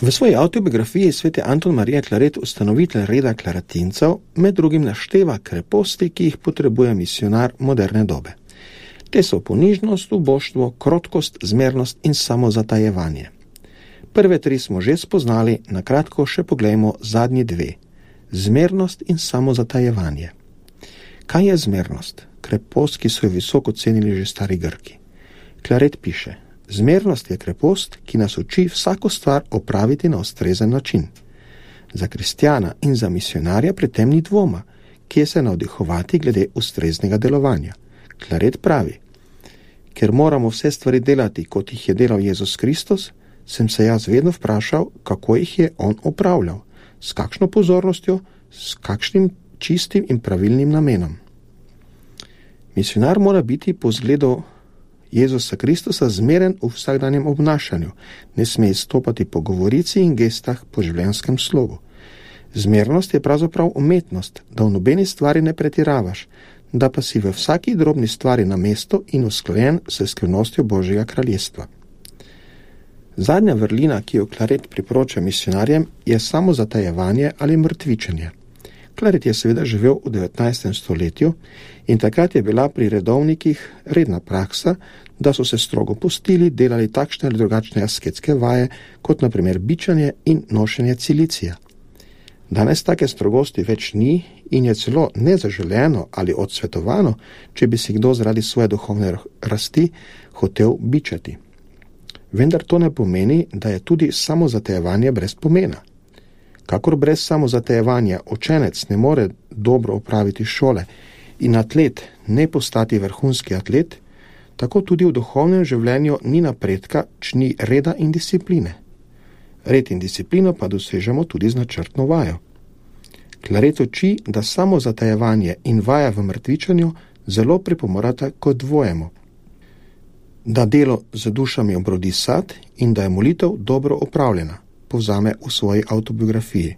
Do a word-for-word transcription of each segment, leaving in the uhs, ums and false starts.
V svoji avtobiografiji sveti Anton Marija Claret, ustanovitelj reda klaratincev, med drugim našteva kreposti, ki jih potrebuje misionar moderne dobe. Te so ponižnost, uboštvo, krotkost, zmernost in samozatajevanje. Prve tri smo že spoznali, na kratko še poglejmo zadnji dve. Zmernost in samozatajevanje. Kaj je zmernost? Krepost, ki so jo visoko cenili že stari Grki. Claret piše: zmernost je krepost, ki nas uči vsako stvar opraviti na ustrezen način. Za kristjana in za misionarja pri tem ni dvoma, kje se navdihovati glede ustreznega delovanja. Claret pravi: ker moramo vse stvari delati, kot jih je delal Jezus Kristus, sem se jaz vedno vprašal, kako jih je on opravljal, s kakšno pozornostjo, s kakšnim čistim in pravilnim namenom. Misionar mora biti po zgledu Jezusa Kristusa zmeren v vsakdanjem obnašanju, ne sme izstopati po govorici in gestah po življenjskem slogu. Zmernost je pravzaprav umetnost, da v nobeni stvari ne pretiravaš, da pa si v vsaki drobni stvari na mesto in usklajen s skrivnostjo Božjega kraljestva. Zadnja vrlina, ki jo Claret priporoča misionarjem, je samozatajevanje ali mrtvičenje. Claret je seveda živel v devetnajstem stoletju in takrat je bila pri redovnikih redna praksa, da so se strogo postili, delali takšne ali drugačne asketske vaje, kot na primer bičanje in nošenje cilicija. Danes take strogosti več ni in je celo nezaželeno ali odsvetovano, če bi si kdo zaradi svoje duhovne rasti hotel bičati. Vendar to ne pomeni, da je tudi samozatajevanje brez pomena. Kakor brez samozatajevanja učenec ne more dobro opraviti šole in atlet ne postati vrhunski atlet, tako tudi v duhovnem življenju ni napredka, če ni reda in discipline. Red in disciplino pa dosežemo tudi z načrtno vajo. Claret uči, da samozatajevanje in vaja v mrtvičanju zelo pripomorata k dvojemu. Da delo z dušami obrodi sad in da je molitev dobro opravljena, povzame v svoji avtobiografiji.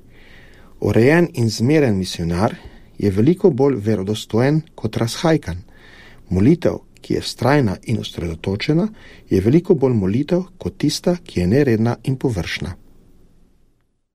Urejen in zmeren misionar je veliko bolj verodostojen kot razhajkan. Molitev, ki je vztrajna in osredotočena, je veliko bolj molitev kot tista, ki je neredna in površna.